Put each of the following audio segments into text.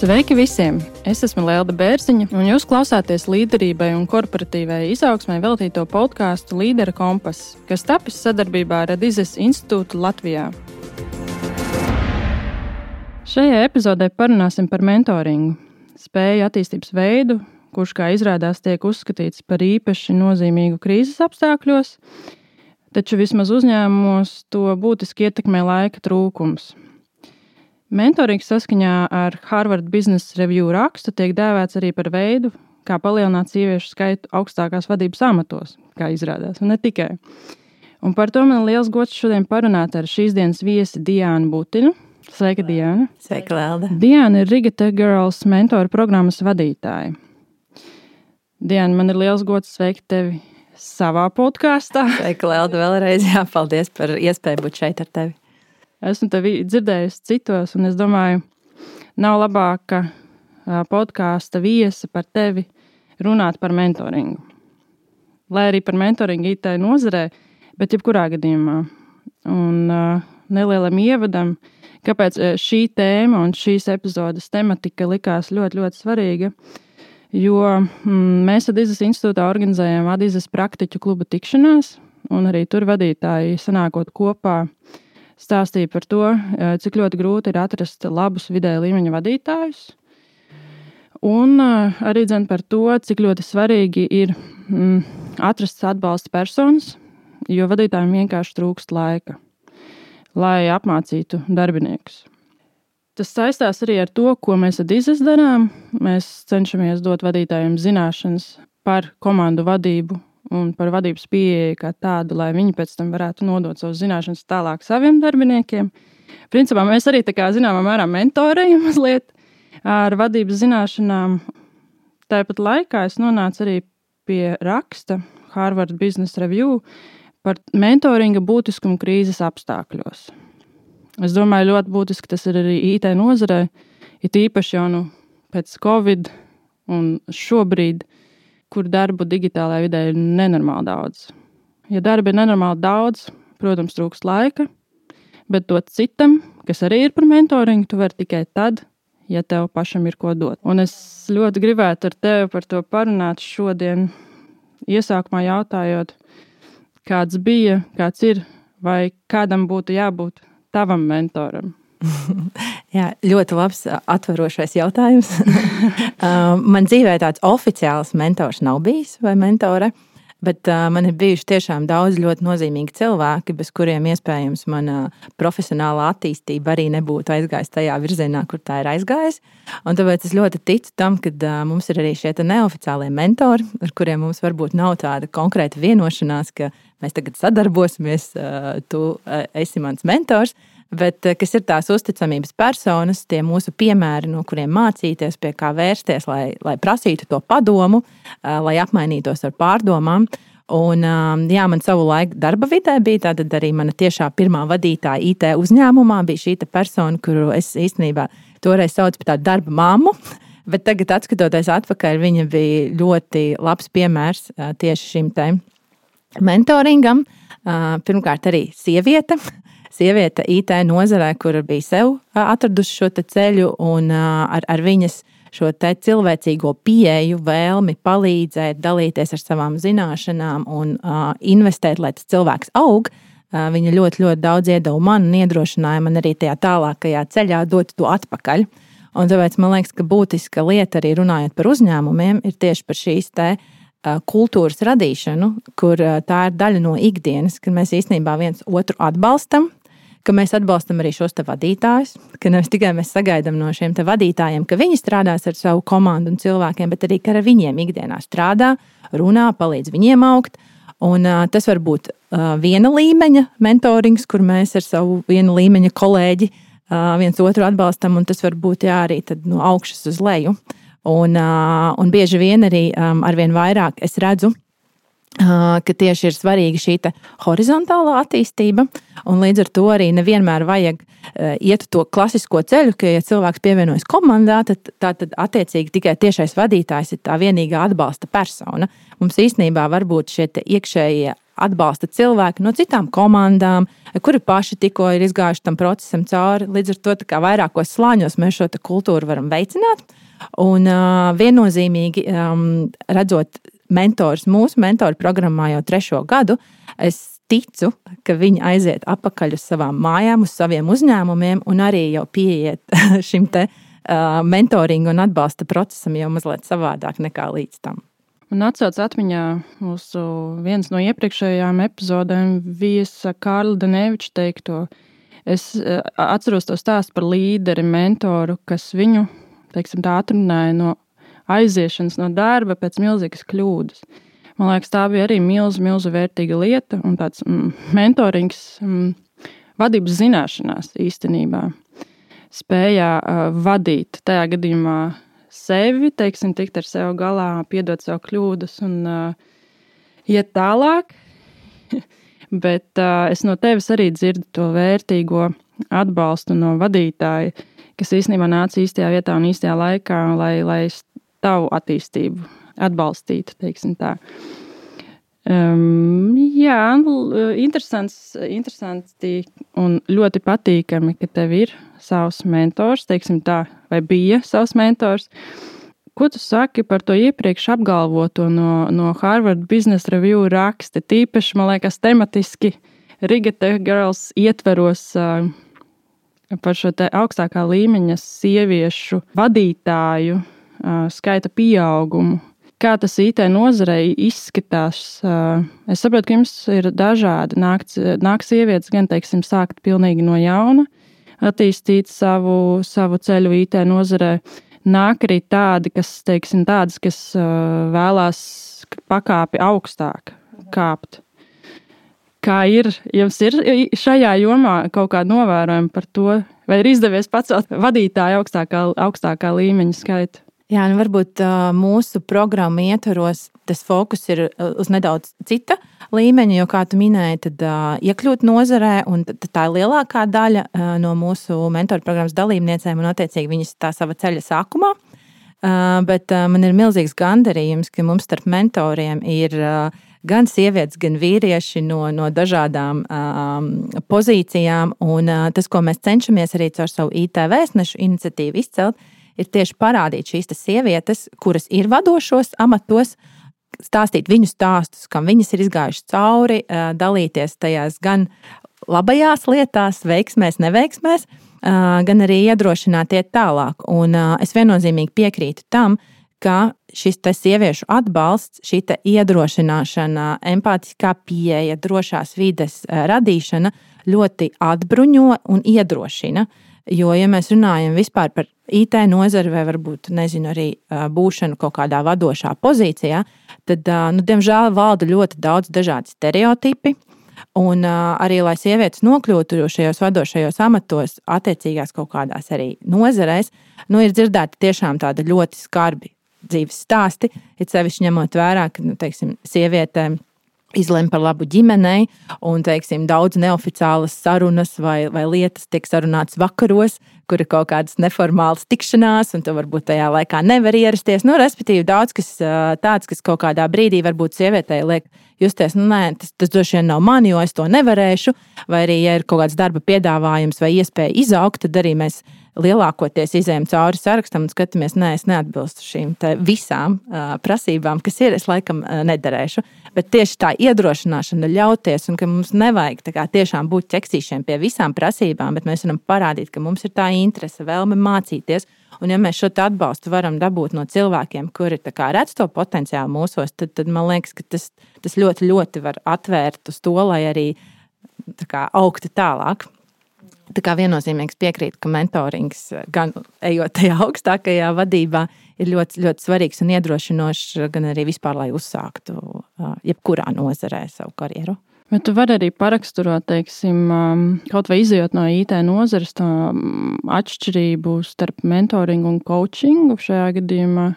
Sveiki visiem! Es esmu Lelda Bērziņa, un jūs klausāties līderībai un korporatīvai izaugsmai veltīto podkāstu Līdera kompass, kas tapis sadarbībā ar Adizes institūtu Latvijā. Šajā epizodē parunāsim par mentoringu, spēju attīstības veidu, kurš, kā izrādās, tiek uzskatīts par īpaši nozīmīgu krīzes apstākļos, taču vismaz uzņēmumos to būtiski ietekmē laika trūkums. Mentorings saskaņā ar Harvard Business Review rakstu tiek dēvēts arī par veidu, kā palielināt sieviešu skaitu augstākās vadības amatos, kā izrādās, un ne tikai. Un par to man liels gods šodien parunāt ar šīs dienas viesi Diānu Butinu. Sveika, Diāna! Sveika, Lelda! Diāna ir Riga Tech Girls mentoru programmas vadītāja. Diāna, man ir liels gods sveikt tevi savā podkāstā. Sveika, Lelda, vēlreiz. Jā, paldies par iespēju būt šeit ar tevi. Esmu tevi dzirdējusi citos, un es domāju, nav labāka podkāsta viesa par tevi runāt par mentoringu. Lai arī par mentoringu IT nozarē, bet jebkurā gadījumā. Un nelielam ievadam, kāpēc šī tēma un šīs epizodes tematika likās ļoti, ļoti svarīga, jo mēs Adizes institūtā organizējam Adizes praktiķu kluba tikšanās, un arī tur vadītāji sanākot kopā stāstīja par to, cik ļoti grūti ir atrast labus vidēja līmeņa vadītājus. Un arī dzen par to, cik ļoti svarīgi ir atrast atbalsta personas, jo vadītājiem vienkārši trūkst laika, lai apmācītu darbiniekus. Tas saistās arī ar to, ko mēs Adizes darām. Mēs cenšamies dot vadītājiem zināšanas par komandu vadību un par vadības pieeju kā tādu, lai viņi pēc tam varētu nodot savus zināšanas tālāk saviem darbiniekiem. Principā mēs arī tā kā zināmā mērā mentorējam mazliet ar vadības zināšanām. Tāpat laikā es nonācu arī pie raksta Harvard Business Review par mentoringa būtiskumu krīzes apstākļos. Es domāju, ļoti būtiski tas ir arī IT nozarē, it īpaši jau pēc Covid un šobrīd, kur darbu digitālajā vidē ir nenormāli daudz. Ja darba ir nenormāli daudz, protams, trūkst laika, bet dot citam, kas arī ir par mentoringu, tu vari tikai tad, ja tev pašam ir ko dot. Un es ļoti gribētu ar tevi par to parunāt šodien, iesākumā jautājot, kāds bija, kāds ir, vai kādam būtu jābūt tavam mentoram. Jā, ļoti labs atverošais jautājums. Man dzīvē tāds oficiāls mentors nav bijis vai mentore, bet man ir bijuši tiešām daudz ļoti nozīmīgi cilvēki, bez kuriem iespējams mana profesionālā attīstība arī nebūtu aizgājis tajā virzienā, kur tā ir aizgājis. Un tāpēc es ļoti ticu tam, ka mums ir arī šie neoficiālie mentori, ar kuriem mums varbūt nav tāda konkrēta vienošanās, ka mēs tagad sadarbosimies, tu esi mans mentors, bet kas ir tās uzticamības personas, tie mūsu piemēri, no kuriem mācīties, pie kā vērsties, lai prasītu to padomu, lai apmainītos ar pārdomām. Un, jā, man savu laiku darba vidē bija tātad arī mana tiešā pirmā vadītāja IT uzņēmumā, bija šī persona, kuru es īstenībā toreiz saucu par tādu darba mammu, bet tagad atskatoties atpakaļ, viņa bija ļoti labs piemērs tieši šim te mentoringam. Pirmkārt arī Sieviete IT nozarē, kur bija sev atradusi šo ceļu un ar viņas šo cilvēcīgo pieeju, vēlmi palīdzēt, dalīties ar savām zināšanām un investēt, lai tas cilvēks aug. Viņa ļoti, ļoti daudz iedeva man un iedrošināja man arī tajā tālākajā ceļā dot to atpakaļ. Un tāpēc man liekas, ka būtiska lieta arī runājot par uzņēmumiem ir tieši par šīs kultūras radīšanu, kur tā ir daļa no ikdienas, kad mēs īstenībā viens otru atbalstam, ka mēs atbalstam arī šos vadītājus, ka nevis tikai mēs sagaidām no šiem vadītājiem, ka viņi strādās ar savu komandu un cilvēkiem, bet arī, ka ar viņiem ikdienā strādā, runā, palīdz viņiem augt. Un tas var būt viena līmeņa mentorings, kur mēs ar savu viena līmeņa kolēģi viens otru atbalstam, un tas var būt arī tad no augšas uz leju. Un bieži vien arī arvien vairāk es redzu, ka tieši ir svarīga šī horizontālā attīstība, un līdz ar to arī nevienmēr vajag iet to klasisko ceļu, ka, ja cilvēks pievienojas komandā, tad attiecīgi tikai tiešais vadītājs ir tā vienīgā atbalsta persona. Mums īstenībā var būt šie iekšējie atbalsta cilvēki no citām komandām, kuri paši tikko ir izgājuši tam procesam cauri. Līdz ar to tā kā vairākos slāņos mēs šo kultūru varam veicināt. Un viennozīmīgi redzot mentors mūsu mentoru programmā jau 3. gadu, es ticu, ka viņi aiziet atpakaļ uz savām mājām, uz saviem uzņēmumiem un arī jau pieiet šim te mentoringu un atbalsta procesam jau mazliet savādāk nekā līdz tam. Man atsauc atmiņā mūsu viens no iepriekšējām epizodēm viesa Kārla Daneviča teikto. Es atceros to stāstu par līderi, mentoru, kas viņu, teiksim, tā atrunāja no aiziešanas no darba pēc milzīgas kļūdas. Man liekas, tā bija arī milzu vērtīga lieta un tāds mentorings vadības zināšanās īstenībā. Spējā vadīt tajā gadījumā sevi, teiksim, tikt ar sevi galā, piedot sev kļūdas un iet tālāk. Bet es no tevis arī dzirdu to vērtīgo atbalstu no vadītāja, kas īstenībā nāca īstajā vietā un īstajā laikā, lai tavu attīstību atbalstītu, teiksim tā. Jā, interesanti un ļoti patīkami, ka tev ir savs mentors, teiksim tā, vai bija savs mentors. Ko tu saki par to iepriekš apgalvoto no Harvard Business Review raksta? Tīpaši, man liekas, tematiski Riga Tech Girls ietveros par šo te augstākā līmeņa sieviešu vadītāju skaita pieaugumu. Kā tas IT nozarei izskatās? Es saprotu, ka jums ir dažādi. Nāk sievietes gan, teiksim, sākt pilnīgi no jauna, attīstīt savu ceļu IT nozarē. Nāk arī tādi, kas vēlās pakāpi augstāk kāpt. Kā ir? Jums ir šajā jomā kaut kāda novērojuma par to? Vai ir izdevies pacelt vadītāju augstākā līmeņa skaitu? Jā, varbūt mūsu programmu ietvaros tas fokus ir uz nedaudz cita līmeņa, jo, kā tu minēji, tad iekļūt nozarē, un tā ir lielākā daļa no mūsu mentoru programmas dalībniecēm, un attiecīgi viņas tā sava ceļa sākumā. Bet man ir milzīgs gandarījums, ka mums starp mentoriem ir gan sievietes, gan vīrieši no dažādām pozīcijām, un tas, ko mēs cenšamies arī caur savu IT vēstnešu iniciatīvu izcelt, ir tieši parādīt šīs sievietes, kuras ir vadošos amatos, stāstīt viņu stāstus, kam viņas ir izgājušas cauri, dalīties tajās gan labajās lietās, veiksmēs, neveiksmēs, gan arī iedrošināt iet tālāk. Un es viennozīmīgi piekrītu tam, ka šis sieviešu atbalsts, šī iedrošināšana, empātiskā pieeja, drošās vides radīšana ļoti atbruņo un iedrošina. Jo, ja mēs runājam vispār par IT nozari vai varbūt, nezinu, arī būšanu kaut kādā vadošā pozīcijā, tad, diemžēl, valda ļoti daudz dažādi stereotipi. Un arī, lai sievietes nokļūtu šajos vadošajos amatos, attiecīgās kaut kādās arī nozarēs, ir dzirdēti tiešām tādi ļoti skarbi dzīves stāsti, it sevišķi ņemot vērā, ka, teiksim, sievietēm izlem par labu ģimenei, un, teiksim, daudz neoficiālas sarunas vai lietas tiek sarunātas vakaros, kur ir kaut kādas neformālas tikšanās, un tu varbūt tajā laikā nevar ierasties. Respektīvi, daudz kas tāds, kas kaut kādā brīdī varbūt sievietei liek justies, nē, tas droši vien nav man, jo es to nevarēšu, vai arī, ja ir kaut kāds darba piedāvājums vai iespēja izaugt, tad arī mēs lielākoties izējam cauri sarakstam un skatāmies, nē, es neatbilstu šīm visām prasībām, kas ir, es laikam nederēšu. Bet tieši tā iedrošināšana ļauties, un ka mums nevajag tiešām būt ķeksīšiem pie visām prasībām, bet mēs varam parādīt, ka mums ir tā interese, vēlme mācīties. Un ja mēs šo atbalstu varam dabūt no cilvēkiem, kuri redz to potenciālu mūsos, tad man liekas, ka tas ļoti, ļoti var atvērt uz to, lai arī augtu tālāk. Tā kā viennozīmīgs piekrīt, ka mentorings, gan ejot tajā augstākajā vadībā, ir ļoti, ļoti svarīgs un iedrošinošs, gan arī vispār, lai uzsāktu jebkurā nozarē savu karjeru. Bet tu vari arī paraksturot, teiksim, kaut vai izejot no IT nozares, tā atšķirību starp mentoringu un coachingu šajā gadījumā?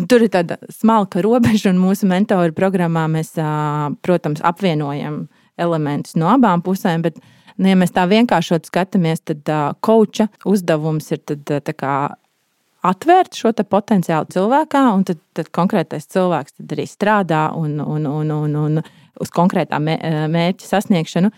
Tur ir tāda smalka robeža, un mūsu mentoru programmā mēs, protams, apvienojam elementus no abām pusēm, bet, ja mēs tā vienkāršot skatāmies, tad coacha uzdevums ir atvērt šo te potenciālu cilvēkā, un tad konkrētais cilvēks tad arī strādā un uz konkrētā mērķa sasniegšanu.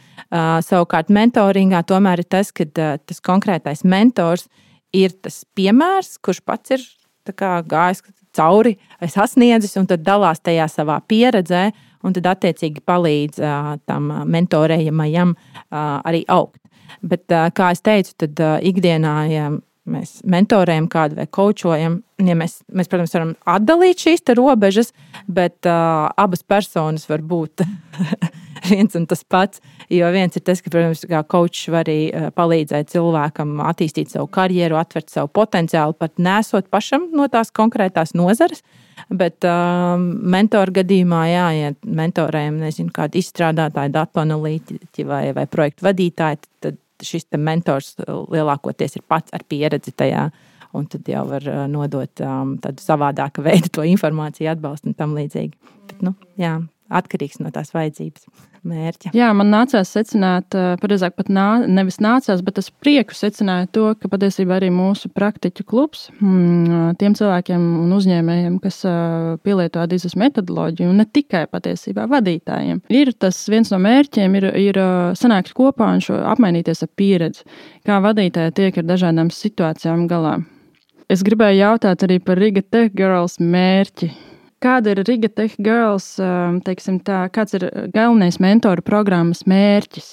Savukārt mentoringā tomēr ir tas, ka tas konkrētais mentors ir tas piemērs, kurš pats ir tā kā gājis cauri, sasniedzis, un tad dalās tajā savā pieredzē, un tad attiecīgi palīdz tam mentorējamajam arī augt. Bet, kā es teicu, tad ikdienā, ja mēs mentorējam kādu vai kočojam, ja mēs, protams, varam atdalīt šīs te robežas, bet abas personas var būt viens un tas pats, jo viens ir tas, ka, protams, kā kočs var arī palīdzēt cilvēkam attīstīt savu karjeru, atvert savu potenciālu, pat nesot pašam no tās konkrētās nozares, bet mentoru gadījumā, ja mentorējam, nezinu, kādu izstrādātāju, datu analītiķi vai projektu vadītāji, tad šis te mentors lielākoties ir pats ar pieredzi tajā, un tad jau var nodot tādu savādāku veidu to informāciju, atbalstu un tam līdzīgi. Bet, atkarīgs no tās vajadzības mērķa. Jā, man nācās secināt, pareizāk pat nevis nācās, bet es prieku secināju to, ka patiesībā arī mūsu praktiķu klubs tiem cilvēkiem un uzņēmējiem, kas pielieto Adizes metodoloģiju, un ne tikai patiesībā vadītājiem, ir tas viens no mērķiem, ir sanākt kopā un apmainīties ar pieredzi, kā vadītāji tiek ar dažādām situācijām galā. Es gribēju jautāt arī par Riga Tech Girls mērķi. Kāda ir Riga Tech Girls, teiksim tā, kāds ir galvenais mentoru programmas mērķis?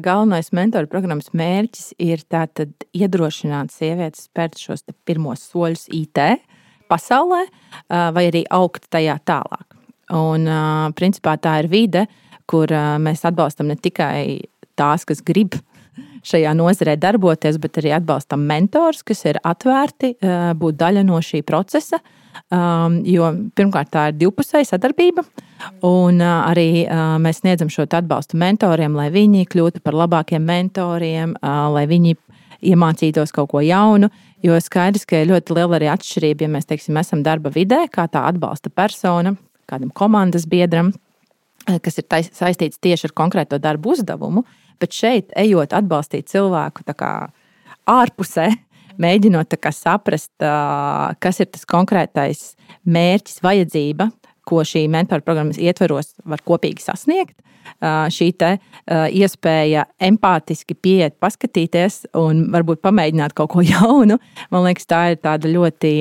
Galvenais mentoru programmas mērķis ir tātad iedrošināt sievietes spērt šos pirmos soļus IT pasaulē vai arī augt tajā tālāk. Un principā tā ir vide, kur mēs atbalstam ne tikai tās, kas grib šajā nozarē darboties, bet arī atbalstam mentors, kas ir atvērti būt daļa no šī procesa. Jo pirmkārt tā ir divpusēja sadarbība, un arī mēs sniedzam šo atbalstu mentoriem, lai viņi kļūtu par labākiem mentoriem, lai viņi iemācītos kaut ko jaunu, jo skaidrs, ka ir ļoti liela arī atšķirība, ja mēs, teiksim, esam darba vidē, kā tā atbalsta persona, kādam komandas biedram, kas ir saistīts tieši ar konkrēto darbu uzdevumu, bet šeit ejot atbalstīt cilvēku tā kā ārpusē, mēģinot saprast, kas ir tas konkrētais mērķis, vajadzība, ko šī mentoru programmas ietveros var kopīgi sasniegt. Šī iespēja empātiski pieiet, paskatīties un varbūt pamēģināt kaut ko jaunu. Man liekas, tā ir tāda ļoti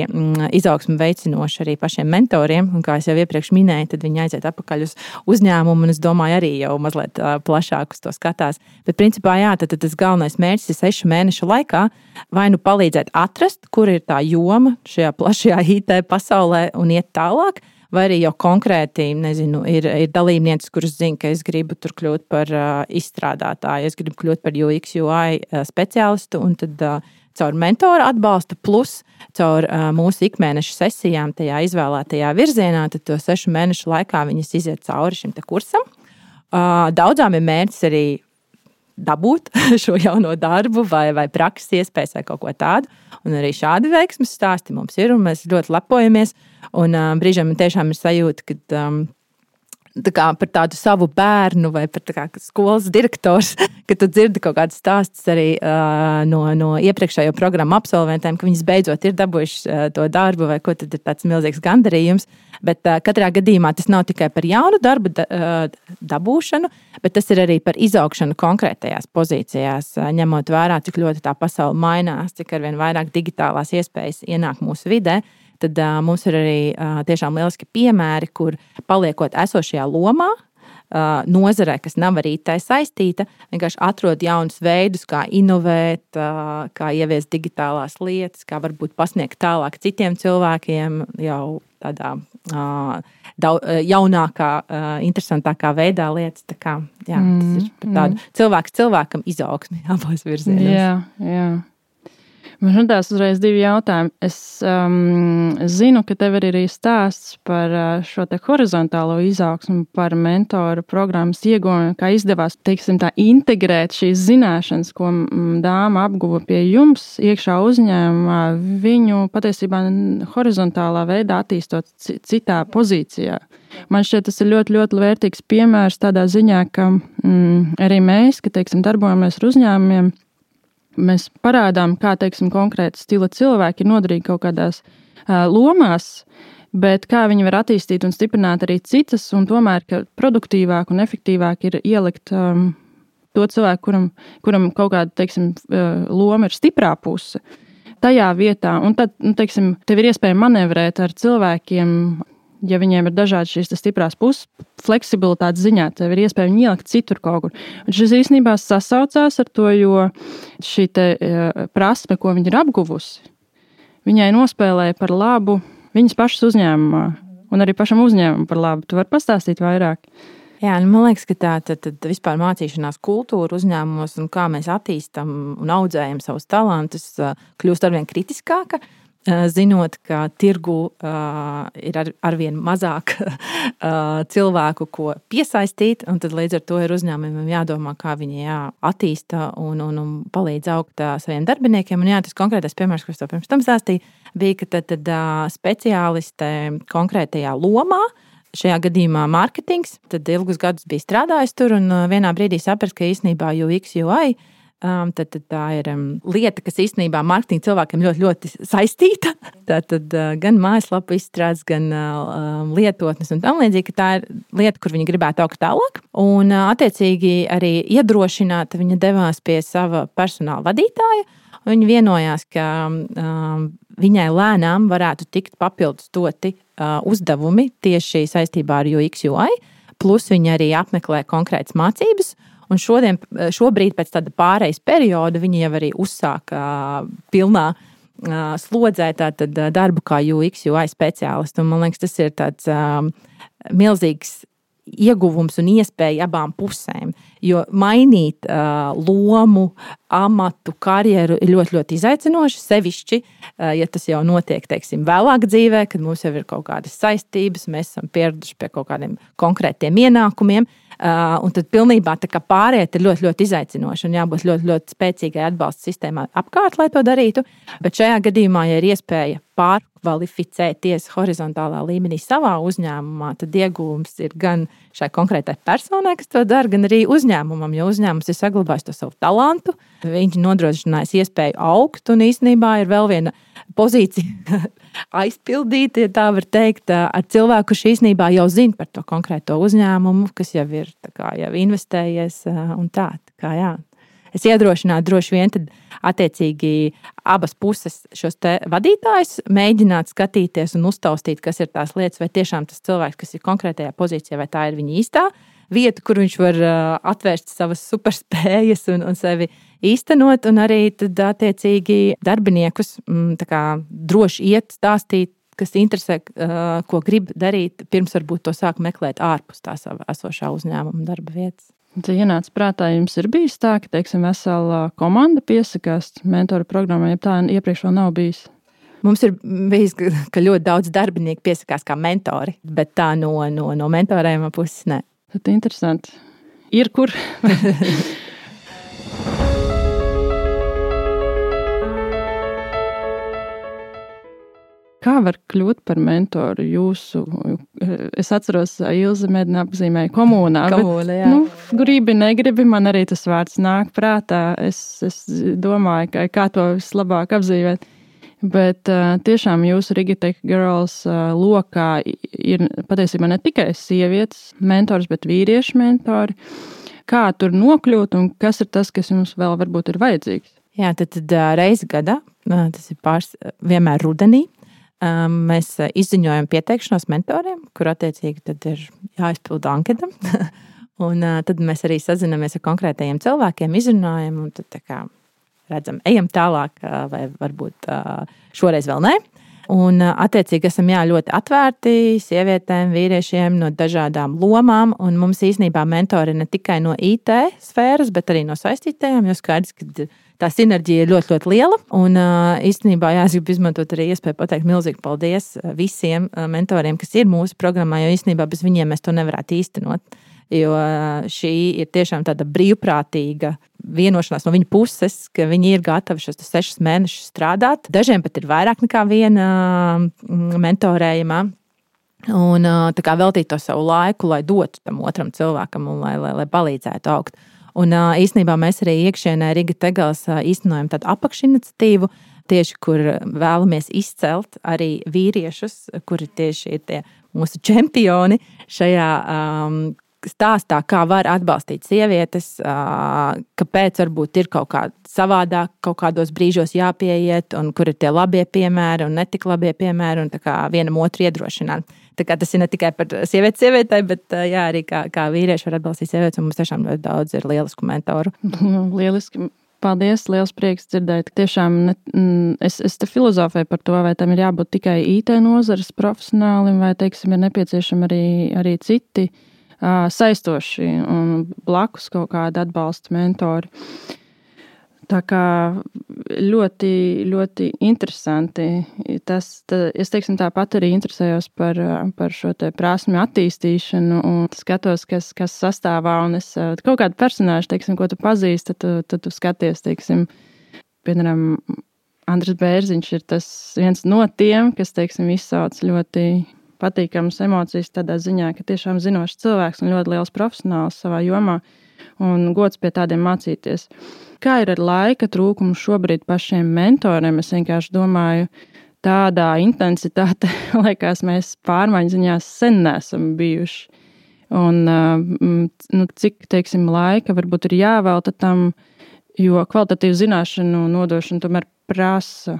izaugsme veicinoša arī pašiem mentoriem. Un kā es jau iepriekš minēju, tad viņi aiziet atpakaļ uz uzņēmumu, un es domāju, arī jau mazliet plašāk uz to skatās. Bet principā, tad tas galvenais mērķis ir 6 mēnešu laikā vai nu palīdzēt atrast, kur ir tā joma šajā plašajā IT pasaulē un iet tālāk, vai arī jau konkrēti, nezinu, ir dalībnieces, kuras zina, ka es gribu tur kļūt par izstrādātāju, es gribu kļūt par UX, UI speciālistu, un tad caur mentora atbalstu plus caur mūsu ikmēneša sesijām tajā izvēlētajā virzienā, tad to 6 mēnešu laikā viņas iziet cauri šim te kursam. Daudzām ir mērķis arī dabūt šo jauno darbu vai prakses iespējas vai kaut ko tādu. Un arī šādi veiksmes stāsti mums ir, un mēs ļoti lepojamies. Un brīžiem man tiešām ir sajūta, ka par tādu savu bērnu vai par skolas direktors, ka tu dzirdi kaut kādas stāstus arī no iepriekšējo programmu absolventiem, ka viņas beidzot ir dabūjuši to darbu vai ko, tad ir tāds milzīgs gandarījums. Bet katrā gadījumā tas nav tikai par jaunu darbu dabūšanu, bet tas ir arī par izaugšanu konkrētajās pozīcijās, ņemot vērā, cik ļoti tā pasaule mainās, cik arvien vairāk digitālās iespējas ienāk mūsu vidē. Tad mums ir arī tiešām lieliski piemēri, kur paliekot esošajā lomā, nozarē, kas nav arī tā saistīta, vienkārši atrod jaunus veidus, kā inovēt, kā ieviest digitālās lietas, kā varbūt pasniegt tālāk citiem cilvēkiem jau tādā jaunākā, interesantākā veidā lietas. Tā kā, tas ir par tādu cilvēks cilvēkam izaugsmi abos virzienos. Jā. Man radās uzreiz 2 jautājumi. Es zinu, ka tev ir arī stāsts par šo te horizontālo izaugsmu, par mentoru programmas iegūšanu, kā izdevās, teiksim tā, integrēt šīs zināšanas, ko dāma apguva pie jums iekšā uzņēmumā, viņu patiesībā horizontālā veidā attīstot citā pozīcijā. Man šķiet, tas ir ļoti, ļoti vērtīgs piemērs tādā ziņā, ka arī mēs, ka, teiksim, darbojamies ar uzņēmumiem, Mēs parādām, kā, teiksim, konkrēti stila cilvēki ir noderīgi kaut kādās lomās, bet kā viņi var attīstīt un stiprināt arī citas, un tomēr, ka produktīvāk un efektīvāk ir ielikt to cilvēku, kuram kaut kāda, teiksim, loma ir stiprā puse, tajā vietā. Un tad, teiksim, tev ir iespēja manevrēt ar cilvēkiem, ja viņiem ir dažādi šīs stiprās puses, fleksibilitātes ziņā, tev ir iespēja viņu ielikt citur kaut kur. Un šis īstenībā sasaucās ar to, jo šī prasme, ko viņa ir apguvusi, viņai nospēlēja par labu viņas pašas uzņēmumā un arī pašam uzņēmumam par labu. Tu vari pastāstīt vairāk? Jā, man liekas, ka tā vispār mācīšanās kultūra uzņēmumos un kā mēs attīstam un audzējam savus talantus kļūst arvien kritiskāka, zinot, ka tirgu ir arvien mazāk cilvēku, ko piesaistīt, un tad līdz ar to ir uzņēmumiem jādomā, kā viņi attīsta un palīdz augt saviem darbiniekiem. Un tas konkrētais piemērs, ko es tev pirms tam stāstīju, bija, ka tad speciāliste konkrētajā lomā, šajā gadījumā mārketings, tad ilgus gadus bija strādājis tur un vienā brīdī saprast, ka īstenībā UX, UI, tad tā ir lieta, kas īstenībā mārketinga cilvēkiem ļoti, ļoti saistīta. Tātad gan mājaslapu izstrādes, gan lietotnes un tam līdzīgi, ka tā ir lieta, kur viņi gribētu augt tālāk. Un attiecīgi arī iedrošināta viņa devās pie sava personāla vadītāja. Viņa vienojās, ka viņai lēnām varētu tikt papildus doti uzdevumi tieši saistībā ar UX, UI, plus viņa arī apmeklē konkrētas mācības. Un šobrīd pēc tāda pārejas perioda viņa jau arī uzsāka pilnā slodzē tātad darbu kā UX, UI speciālists. Un man liekas, tas ir tāds milzīgs ieguvums un iespēja abām pusēm. Jo mainīt lomu, amatu, karjeru ir ļoti, ļoti izaicinoši, sevišķi, ja tas jau notiek, teiksim, vēlāk dzīvē, kad mums jau ir kaut kādas saistības, mēs esam pieraduši pie kaut kādiem konkrētiem ienākumiem, un tad pilnībā tā kā pāriet ir ļoti, ļoti izaicinoši un jābūt ļoti, ļoti spēcīgai atbalsta sistēmai apkārt, lai to darītu. Bet šajā gadījumā, ja ir iespēja pārkvalificēties horizontālā līmenī savā uzņēmumā, tad ieguvums ir gan šai konkrētai personai, kas to dara, gan arī uzņēmumam, jo uzņēmums ir saglabājis to savu talantu, viņš nodrošinājis iespēju augt, un īstenībā ir vēl viena pozīcija aizpildīt, ja tā var teikt, ar cilvēku, kurš īstenībā jau zina par to konkrēto uzņēmumu, kas jau ir jau investējies un tā kā jā. Es iedrošinātu droši vien tad attiecīgi abas puses šos te vadītājus mēģināt skatīties un uztaustīt, kas ir tās lietas, vai tiešām tas cilvēks, kas ir konkrētajā pozīcijā, vai tā ir viņa īstā vieta, kur viņš var atvērst savas superspējas un sevi īstenot, un arī tad attiecīgi darbiniekus tā kā droši iet stāstīt, kas interesē, ko grib darīt, pirms varbūt to sāk meklēt ārpus tā sava esošā uzņēmuma darba vietas. Te ienāca prātā, jums ir bijis tā, ka, teiksim, vesela komanda piesakās mentoru programmai, ja tā iepriekš vēl nav bijis? Mums ir bijis, ka ļoti daudz darbinieku piesakās kā mentori, bet tā no mentorējuma puses ne. Tad interesanti. Ir kur? Kā var kļūt par mentoru jūsu? Es atceros, Ilze mēģina apzīmēja komūnā. Komūna, jā. Gribi, negribi, man arī tas vārds nāk prātā. Es domāju, kā to vislabāk apzīmēt. Bet tiešām jūsu Rigitech Girls lokā ir patiesībā ne tikai sievietes mentors, bet vīriešu mentori. Kā tur nokļūt un kas ir tas, kas jums vēl varbūt ir vajadzīgs? Jā, tad reizi gadā, tas ir vienmēr rudenī, mēs izziņojam pieteikšanos mentoriem, kur attiecīgi tad ir jāizpilda anketa. Un tad mēs arī sazinamies ar konkrētajiem cilvēkiem, izrunājam un tad tā kā redzam, ejam tālāk vai varbūt šoreiz vēl ne. Un attiecīgi esam ļoti atvērti sievietēm, vīriešiem no dažādām lomām, un mums īstenībā mentori ne tikai no IT sfēras, bet arī no saistītajām, jo skaidrs, ka tā sinerģija ir ļoti, ļoti liela. Un īstenībā es gribu izmantot arī iespēju pateikt milzīgi paldies visiem mentoriem, kas ir mūsu programmā, jo īstenībā bez viņiem mēs to nevarētu īstenot. Jo šī ir tiešām tāda brīvprātīga vienošanās no viņa puses, ka viņi ir gatavi šos 6 mēnešus strādāt. Dažiem pat ir vairāk nekā viena mentorējumā. Un tā kā veltīt to savu laiku, lai dotu tam otram cilvēkam un lai palīdzētu augt. Un īstenībā mēs arī iekšienē Riga Tegels īstenojam tādu apakšiniciatīvu, tieši kur vēlamies izcelt arī vīriešus, kuri tieši ir tie mūsu čempioni šajā stāstā, kā var atbalstīt sievietes, kāpēc varbūt ir kaut kā savādāk, kaut kādos brīžos jāpieiet, un kur ir tie labie piemēri un netik labie piemēri, un tā kā vienam otru iedrošināt. Tā kā tas ir ne tikai par sievietei, bet jā, arī kā vīrieši var atbalstīt sievietes, un mums tiešām ļoti daudz ir lielisku mentoru. Lieliski. Paldies, liels prieks dzirdēt. Tiešām es te filozofēju par to, vai tam ir jābūt tikai IT nozares profesionālim, vai, teiksim, ir nepieciešami arī citi saistoši un blakus kaut kādi atbalsta mentori. Tā kā ļoti, ļoti interesanti. Es teiksim tāpat arī interesējos par šo te prasmi attīstīšanu un skatos, kas sastāvā, un es kaut kādu personāžu, teiksim, ko tu pazīsti, tad tu skaties, teiksim, piemēram, Andris Bērziņš ir tas viens no tiem, kas, teiksim, izsauc ļoti patīkamas emocijas tādā ziņā, ka tiešām zinošs cilvēks un ļoti liels profesionāls savā jomā un gods pie tādiem mācīties. Kā ir ar laika trūkumu šobrīd pašiem mentoriem? Es vienkārši domāju, tādā intensitāte, liekas, mēs pārmaiņu ziņā sen nesam bijuši. Un cik, teiksim, laika varbūt ir jāvelta tam, jo kvalitatīvu zināšanu nodošana tomēr prasa,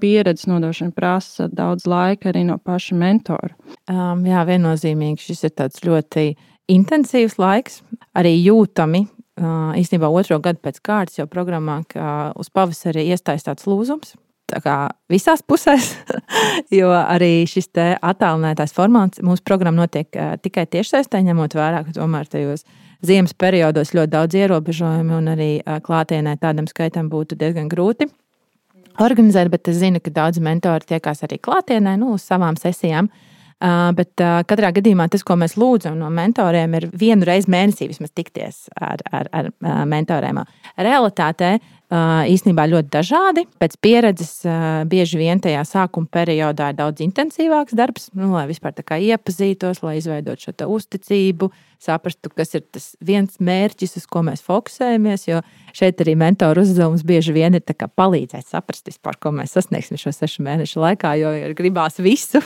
pieredzes nodošana prasa daudz laika arī no paša mentora. Jā, viennozīmīgi šis ir tāds ļoti intensīvs laiks, arī jūtami. Īstenībā 2. gadu pēc kārtas jau programmā, ka uz pavasari iestājas tāds lūzums. Tā kā visās pusēs, jo arī šis te attālinātais formāts mūsu programma notiek tikai tiešsaistē, ņemot vērā, ka tomēr tajos ziemas periodos ļoti daudz ierobežojumi un arī klātienē tādam skaitam būtu diezgan grūti organizēt, bet es zinu, ka daudz mentori tiekās arī klātienē, uz savām sesijām. Bet katrā gadījumā tas, ko mēs lūdzam no mentoriem, ir 1 reizi mēnesī vismaz tikties ar mentoriem. Realitātē īstenībā ļoti dažādi. Pēc pieredzes bieži vien tajā sākuma periodā ir daudz intensīvāks darbs, lai vispār tā kā iepazītos, lai izveidot šo uzticību, saprastu, kas ir tas viens mērķis, uz ko mēs fokusējamies, jo šeit arī mentoru uzdevums bieži vien ir tā kā palīdzēt saprast vispār, ko mēs sasniegsim šo 6 mēnešu laikā, jo gribās visu.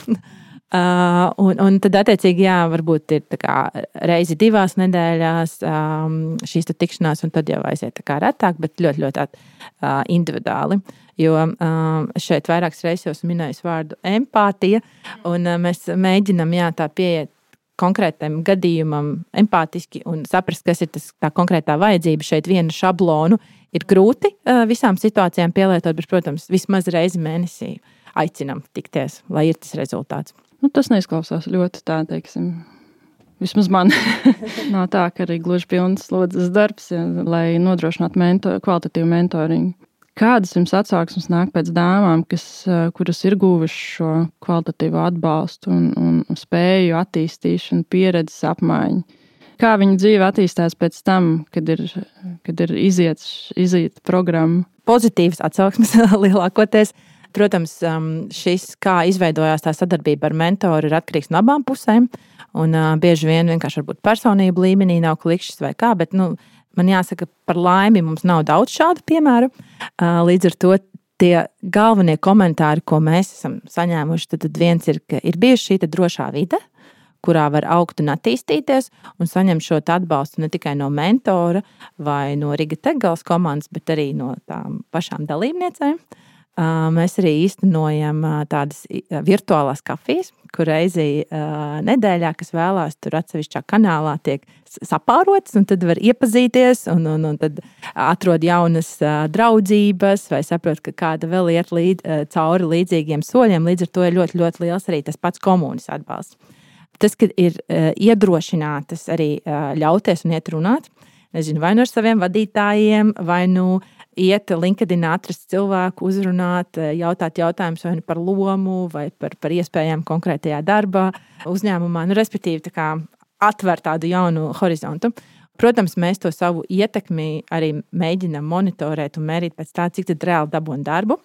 Un tad, attiecīgi, jā, varbūt ir tā kā reizi 2 nedēļās šīs tikšanās, un tad jau aiziet tā kā retāk, bet ļoti, ļoti individuāli. Jo šeit vairākas reizes jau minēju vārdu empātija, un mēs mēģinam, jā, tā pieiet konkrētam gadījumam empātiski un saprast, kas ir tā konkrētā vajadzība. Šeit vienu šablonu ir grūti visām situācijām pielietot, bet, protams, vismaz reizi mēnesī aicinam tikties, lai ir tas rezultāts. Tas neizklausās ļoti tā, teiksim, vismaz man. Nav tā, ka arī gluži pilns slodzes darbs, ja, lai nodrošinātu kvalitatīvu mentoringu. Kādas jums atsauksmes nāk pēc dāmām, kuras ir guvušas šo kvalitatīvo atbalstu un spēju attīstīšanu, pieredzes apmaiņu? Kā viņa dzīve attīstās pēc tam, kad ir iziet programma? Pozitīvas atsauksmes lielākoties. Protams, šis, kā izveidojās tā sadarbība ar mentoru, ir atkarīgs no abām pusēm. Un bieži vien vienkārši varbūt personību līmenī nav klikšķis vai kā, bet man jāsaka, par laimi mums nav daudz šādu piemēru. Līdz ar to tie galvenie komentāri, ko mēs esam saņēmuši, tad viens ir, ka ir bijusi šī drošā vide, kurā var augt un attīstīties un saņemt šo atbalstu ne tikai no mentora vai no Riga Tegels komandas, bet arī no tām pašām dalībniecēm. Mēs arī īstenojam tādas virtuālās kafijas, kur reizi nedēļā, kas vēlās tur atsevišķā kanālā, tiek sapārots, un tad var iepazīties un tad atrod jaunas draudzības vai saprot, ka kāda vēl iet cauri līdzīgiem soļiem. Līdz ar to ir ļoti, ļoti liels arī tas pats komunis atbalsts. Tas, ka ir iedrošinātas arī ļauties un iet runāt, nezinu, vai nu ar saviem vadītājiem, vai nu iet LinkedIn, atrast cilvēku, uzrunāt, jautāt jautājumus vai par lomu, vai par iespējām konkrētajā darbā, uzņēmumā, respektīvi tā kā atver tādu jaunu horizontu. Protams, mēs to savu ietekmi arī mēģinam monitorēt un mērīt pēc tā, cik tad reāli dabūn darbu.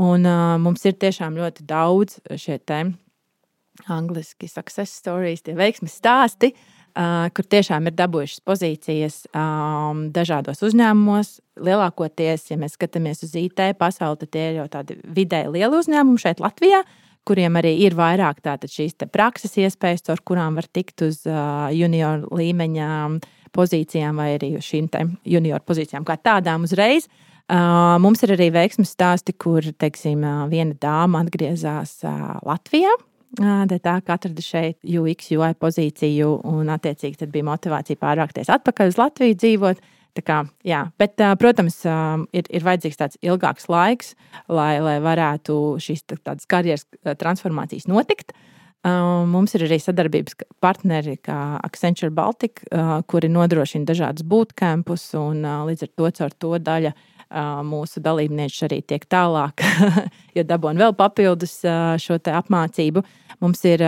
Un mums ir tiešām ļoti daudz šie angliski success stories, tie veiksmes stāsti, kur tiešām ir dabūjušas pozīcijas dažādos uzņēmumos. Lielākoties, ja mēs skatāmies uz IT pasauli, tad tie ir jau tādi vidēji lieli uzņēmumi šeit Latvijā, kuriem arī ir vairāk tātad šīs prakses iespējas, ar kurām var tikt uz junior līmeņa pozīcijām vai arī uz šīm junior pozīcijām kā tādām uzreiz. Mums ir arī veiksmes stāsti, kur, teiksim, viena dāma atgriezās Latvijā. Tā kā atrada šeit UX, UI pozīciju un attiecīgi tad bija motivācija pārvākties atpakaļ uz Latviju dzīvot. Tā kā, jā, bet, protams, ir vajadzīgs tāds ilgāks laiks, lai varētu šīs tādas karjeras transformācijas notikt. Mums ir arī sadarbības partneri kā Accenture Baltic, kuri nodrošina dažādus bootcampus un līdz ar to caur to daļa mūsu dalībnieši arī tiek tālāk, jo dabūna vēl papildus šo te apmācību. Mums ir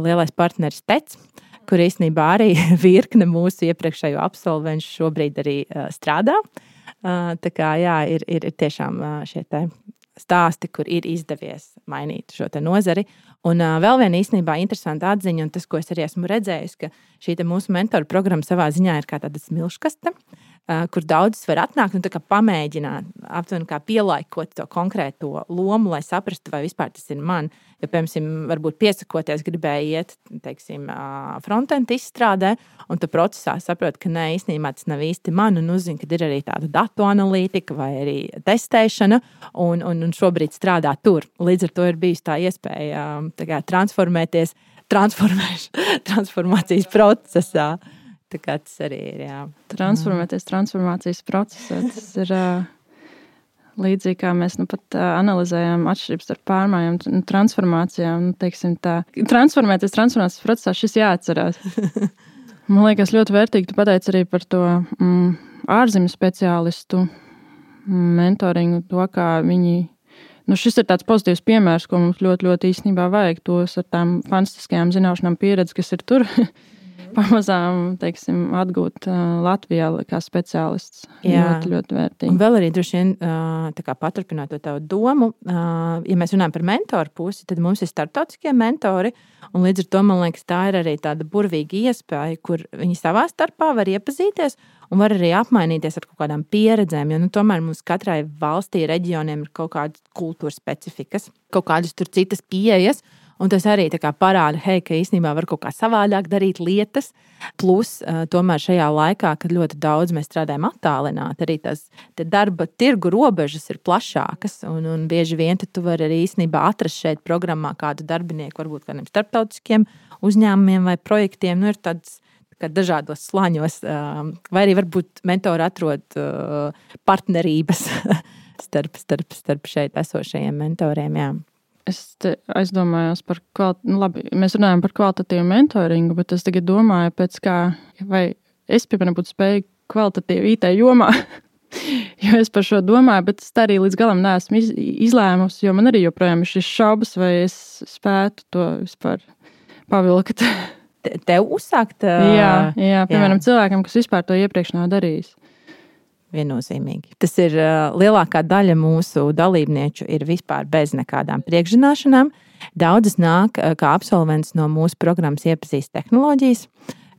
lielais partneris TEC, kur īstenībā arī virkne mūsu iepriekšējo absolventu šobrīd arī strādā. Tā kā jā, ir tiešām šie te stāsti, kur ir izdevies mainīt šo te nozari. Un vēl viena īstenībā interesanta atziņa, un tas, ko es arī esmu redzējis, ka šī te mūsu mentoru programma savā ziņā ir kā tāda smilškaste, kur daudzas var atnākt un tā kā pamēģināt, aptuveni kā pielaikot to konkrēto lomu, lai saprastu, vai vispār tas ir man. Jo, piemēram, varbūt piesakoties gribēja iet, teiksim, frontend izstrādē, un tu procesā saproti, ka nē, īstenībā tas nav īsti man, un uzzini, ka ir arī tāda datu analītika vai arī testēšana, un šobrīd strādā tur. Līdz ar to ir bijusi tā iespēja tā kā transformēties transformācijas procesā. Tā kā tas arī ir, jā. Transformēties transformācijas procesā. Tas ir līdzīgi, kā mēs pat analizējam atšķirības starp pārmaiņām un transformācijām. Teiksim tā, transformēties transformācijas procesā šis jāatcerās. Man liekas ļoti vērtīgi, tu pateici arī par to ārzemju speciālistu mentoringu, to, kā viņi. Šis ir tāds pozitīvs piemērs, ko mums ļoti, ļoti īstenībā vajag. Tos ar tām fantastiskajām zināšanām pieredzi, kas ir tur. Pamazām, teiksim, atgūt Latvijā kā speciālists. Ļoti, ļoti vērtīgi. Un vēl arī droši vien tā kā paturpināt to tavu domu, ja mēs runājam par mentoru pusi, tad mums ir starptautiskie mentori, un līdz ar to, man liekas, tā ir arī tāda burvīga iespēja, kur viņi savā starpā var iepazīties un var arī apmainīties ar kaut kādām pieredzēm, jo tomēr mums katrai valstī, reģioniem ir kaut kādas kultūras specifikas, kaut kādas tur citas pieejas. Un tas arī tā kā parāda, ka īstenībā var kaut kā savādāk darīt lietas. Plus, tomēr šajā laikā, kad ļoti daudz mēs strādājam attālināti, arī tās darba tirgu robežas ir plašākas. Un bieži vien tu vari arī īstenībā atrast šeit programmā kādu darbinieku, varbūt kādiem starptautiskiem uzņēmumiem vai projektiem. Ir tāds dažādos slāņos, vai arī varbūt mentori atrod partnerības starp šeit esošajiem mentoriem. Jā. Es aizdomājos par mēs runājam par kvalitatīvu mentoringu, bet es tagad domāju, vai es, piemēram, būtu spēju kvalitatīvu IT jomā, jo es par šo domāju, bet es tā arī līdz galam neesmu izlēmusi, jo man arī joprojām ir šis šaubas, vai es spētu to vispār pavilkt. Tev uzsākt? Jā, piemēram, cilvēkam, kas vispār to iepriekš nav darījis. Viennozīmīgi. Tas ir lielākā daļa mūsu dalībnieču ir vispār bez nekādām priekšzināšanām. Daudzas nāk kā absolvents no mūsu programmas iepazīst tehnoloģijas,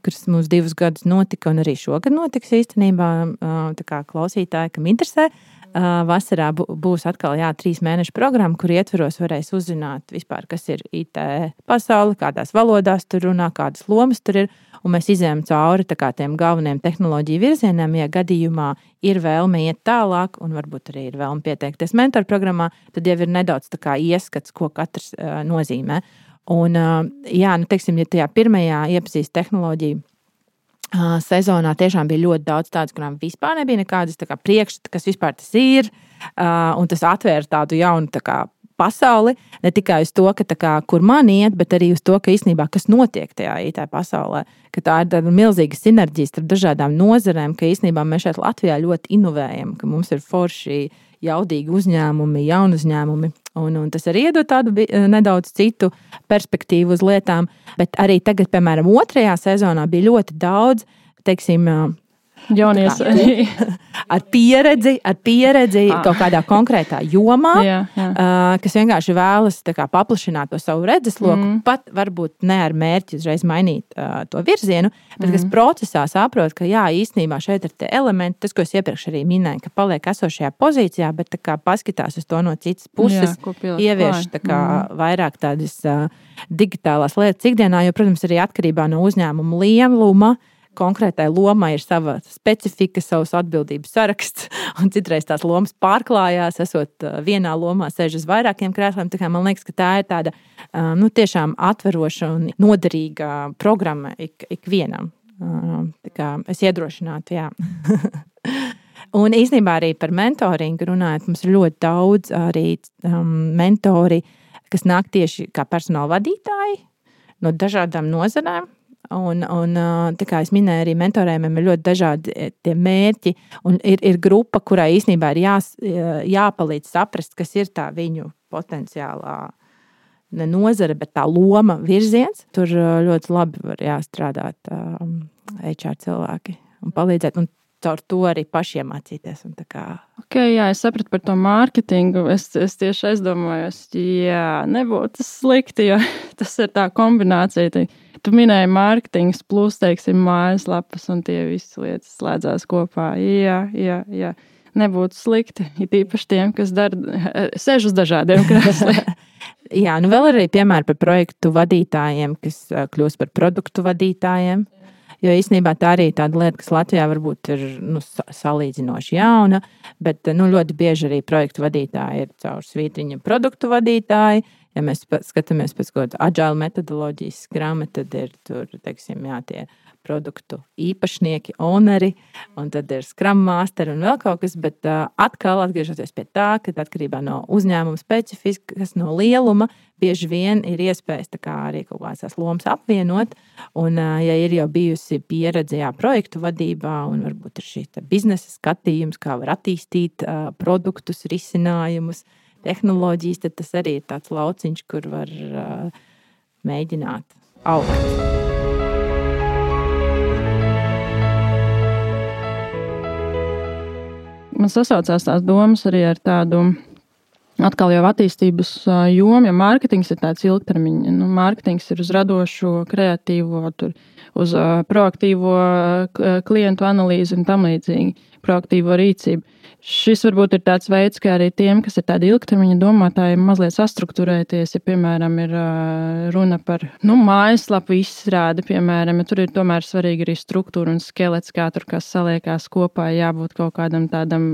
kuras mums 2 gadus notika un arī šogad notiks īstenībā. Tā kā klausītāji, kam interesē, vasarā būs atkal 3 mēnešu programma, kur ietveros varēs uzzināt vispār, kas ir IT pasauli, kādās valodās tur runā, kādas lomas tur ir. Un mēs izējām cauri tiem galvenajiem tehnoloģiju virzieniem, ja gadījumā ir vēlme iet tālāk, un varbūt arī ir vēlme pieteikties mentoru programmā, tad jau ir nedaudz ieskats, ko katrs nozīmē. Un, teiksim, ja tajā pirmajā iepazīst tehnoloģiju sezonā tiešām bija ļoti daudz tādas, kurām vispār nebija nekādas priekšstata, kas vispār tas ir, un tas atvēra tādu jaunu pasauli, ne tikai uz to, kur man iet, bet arī uz to, ka īstenībā kas notiek tajā IT pasaulē, ka tā ir tāda milzīga sinerģija starp dažādām nozarēm, ka īstenībā mēs šeit Latvijā ļoti inovējam, ka mums ir forši, jaudīgi uzņēmumi, jauni uzņēmumi, un tas arī iedod tādu nedaudz citu perspektīvu uz lietām, bet arī tagad, piemēram, 2. sezonā bija ļoti daudz, teiksim, Jaunies. Ar pieredzi kaut kādā konkrētā jomā, kas vienkārši vēlas paplašināt to savu redzesloku, pat varbūt ne ar mērķi uzreiz mainīt to virzienu, bet kas procesā saprot, ka jā, īstenībā šeit ir tie elementi, tas, ko es iepriekš arī minēju, ka paliek esošajā pozīcijā, bet paskatās uz to no citas puses, ievieš vairāk tādas digitālās lietas ikdienā, jo, protams, arī atkarībā no uzņēmuma lieluma, konkrētai lomai ir sava specifika, savs atbildības saraksts, un citreiz tās lomas pārklājās, esot vienā lomā, sēž uz vairākiem krēsliem. Tā kā man liekas, ka tā ir tāda tiešām atveroša un noderīga programma ikvienam. Tā kā es iedrošinātu, jā. Un īstenībā arī par mentoringu runājot, mums ir ļoti daudz arī mentori, kas nāk tieši kā personāla vadītāji no dažādām nozarēm. Un tā kā es minēju, arī mentorējumiem ir ļoti dažādi tie mērķi, un ir grupa, kurai īstenībā ir jāpalīdz saprast, kas ir tā viņu potenciālā ne nozare, bet tā loma virziens. Tur ļoti labi var jāstrādāt HR cilvēki un palīdzēt, un caur to arī pašiem mācīties. Jā, es sapratu par to mārketingu. Es tieši aizdomājos, nebūtu slikti, jo tas ir tā kombinācija. Tu minēji mārketings plus, teiksim, mājaslapas, un tie visi lietas slēdzās kopā. Jā. Nebūtu slikti, it īpaši tiem, kas sēž uz dažādiem krēsliem. Jā, vēl arī piemēri par projektu vadītājiem, kas kļūst par produktu vadītājiem. Jo īstenībā tā arī tāda lieta, kas Latvijā varbūt ir salīdzinoši jauna, bet ļoti bieži arī projektu vadītāji ir caur svītriņa produktu vadītāji. Ja mēs skatāmies pēc kaut kāda agile metodoloģijas skrama, tad ir tur, teiksim, tie produktu īpašnieki, owneri, un tad ir scrum masteri un vēl kaut kas, bet atkal atgriežoties pie tā, ka atkarībā no uzņēmuma specifikas, no lieluma, bieži vien ir iespējas arī kaut kādas lomas apvienot, un ja ir jau bijusi pieredze projektu vadībā, un varbūt ir šī biznesa skatījums, kā var attīstīt produktus, risinājumus, tehnoloģijas, tad tas arī ir tāds lauciņš, kur var mēģināt augt. Man sasaucās tās domas arī ar tādu atkal jau attīstības jomu, jo mārketings ir tāds ilgtermiņa. Mārketings ir uz radošo, kreatīvo, uz proaktīvo klientu analīzi un tam līdzīgi, proaktīvo rīcību. Šis varbūt ir tāds veids, kā arī tiem, kas ir tādi ilgtermiņa domātāji, mazliet sastruktūrēties, ja, piemēram, ir runa par mājaslapu izstrādi, piemēram, ja tur ir tomēr svarīgi arī struktūra un skelets, kā tur kas saliekās kopā, jābūt kaut kādam tādam,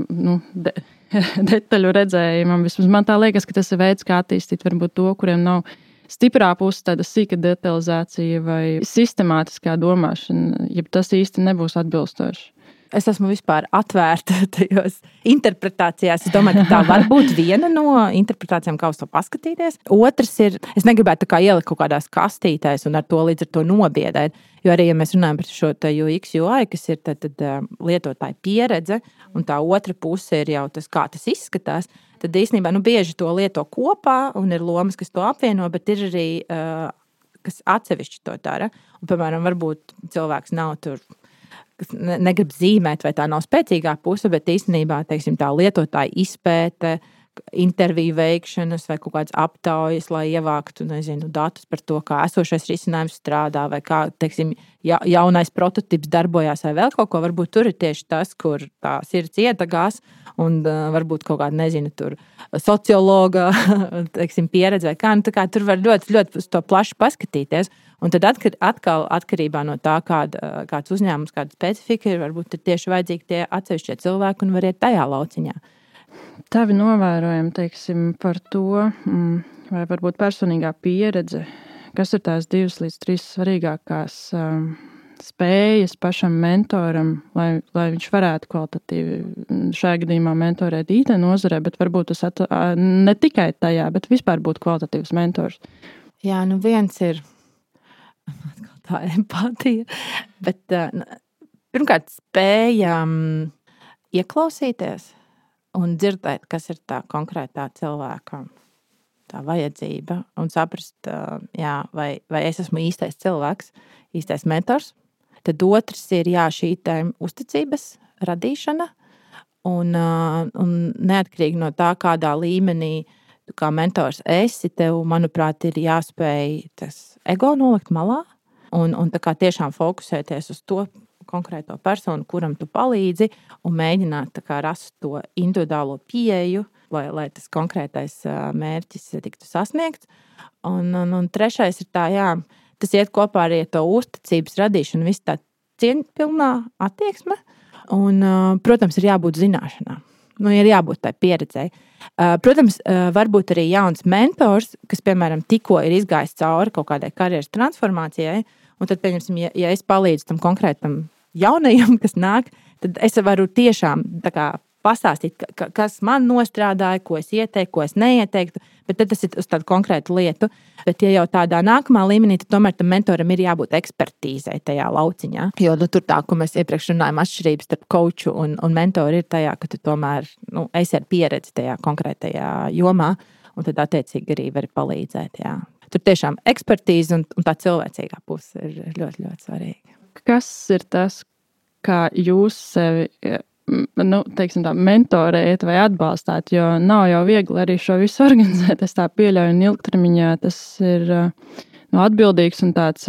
detaļu redzējumam. Vismaz man tā liekas, ka tas ir veids, kā attīstīt varbūt to, kuriem nav stiprā puse tāda sīka detalizācija vai sistemātiskā domāšana, ja tas īsti nebūs atbilstoši. Es esmu vispār atvērta tajos interpretācijās. Es domāju, ka tā var būt viena no interpretācijām, kā uz to paskatīties. Otrs ir, es negribētu ielikt kaut kādās kastītēs un ar to līdz ar to nobiedēt. Jo arī, ja mēs runājam par šo UX, UI, kas ir tad lietotāja pieredze, un tā otra puse ir jau tas, kā tas izskatās, tad īstenībā bieži to lieto kopā un ir lomas, kas to apvieno, bet ir arī, kas atsevišķi to dara. Un, piemēram, varbūt cilvēks nav tur, kas negrib zīmēt, vai tā nav spēcīgā puse, bet īstenībā, teiksim, tā lietotāja izpēte, interviju veikšanas vai kaut kādas aptaujas, lai ievāktu, datus par to, kā esošais risinājums strādā, vai kā, teiksim, jaunais prototips darbojās, vai vēl kaut ko. Varbūt tur ir tieši tas, kur tā sirds iedegās, un varbūt kaut kāda, tur sociologa, teiksim, pieredze vai kā. Tā kā tur var ļoti, ļoti uz to plaši paskatīties. Un tad atkal atkarībā no tā, kāds uzņēmums, kāda specifika ir, varbūt ir tieši vajadzīgi tie atsevišķie cilvēki un var iet tajā lauciņā. Tavi novērojumi, teiksim, par to, vai varbūt personīgā pieredze, kas ir tās 2 līdz 3 svarīgākās spējas pašam mentoram, lai viņš varētu kvalitatīvi šajā gadījumā mentorēt IT nozarē, bet varbūt tas ne tikai tajā, bet vispār būt kvalitatīvs mentors. Jā, viens ir tā empātija, bet pirmkārt spējam ieklausīties un dzirdēt, kas ir tā konkrētā cilvēka tā vajadzība un saprast, vai es esmu īstais cilvēks, īstais mentors. Tad otrs ir šī uzticības radīšana. Un neatkarīgi no tā, kādā līmenī tu kā mentors esi, tev, manuprāt, ir jāspēj tas ego nolikt malā un tā kā tiešām fokusēties uz to konkrēto personu, kuram tu palīdzi, un mēģināt tā kā rast to individuālo pieeju, lai tas konkrētais mērķis tiktu sasniegts. Un trešais ir tā, tas iet kopā arī ar to uzticības radīšanu, viss tā cieņpilnā attieksme. Un, protams, ir jābūt zināšanām. Ir jābūt tai pieredzei. Protams, varbūt arī jauns mentors, kas, piemēram, tikko ir izgājis cauri kaut kādai karjeras transformācijai, un tad, pieņemsim, ja es palīdzu tam konkrētam jaunajam, kas nāk, tad es varu tiešām tā kā pastāstīt, kas man nostrādāja, ko es ieteiktu, ko es neieteiktu, bet tad tas ir uz tādu konkrētu lietu. Bet, ja jau tādā nākamā līmenī, tad tomēr tam mentoram ir jābūt ekspertīzei tajā lauciņā. Jo tur tā, ko mēs iepriekš runājam, atšķirības starp coachu un mentoru ir tajā, ka tu tomēr esi ar pieredzi tajā konkrētajā jomā, un tad attiecīgi arī vari palīdzēt. Jā. Tur tiešām ekspertīze un tā cilvēcīgā puse ir ļoti, ļoti svarīga. Kas ir tas, kā jūs sevi teiksim tā, mentorēt vai atbalstāt, jo nav jau viegli arī šo visu organizēt. Es tā pieļauju, un ilgtermiņā tas ir atbildīgs un tāds